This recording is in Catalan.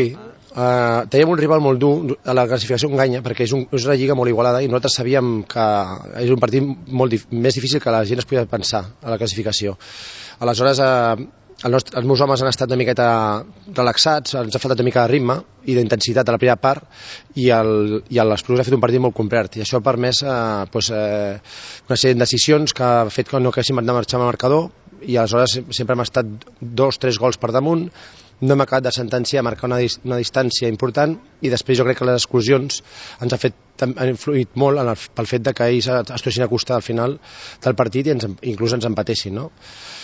Teníem un rival molt dur a la classificació enganya, perquè és una lliga molt igualada i nosaltres sabíem que és un partit més difícil que la gent es podia pensar a la classificació. Aleshores els meus homes han estat una miqueta relaxats, ens ha faltat una mica de ritme i d'intensitat a la primera part i l'Esplugues ha fet un partit molt complet i això ha permès una sèrie de decisions que ha fet que no haguéssim de marxar amb el marcador i aleshores sempre hem estat 2-3 gols per damunt. No hem acabat de sentenciar, marcar una distància important i després jo crec que les exclusions han influït molt pel fet que ells es tornessin a acostar al final del partit i inclús ens empatessin, no?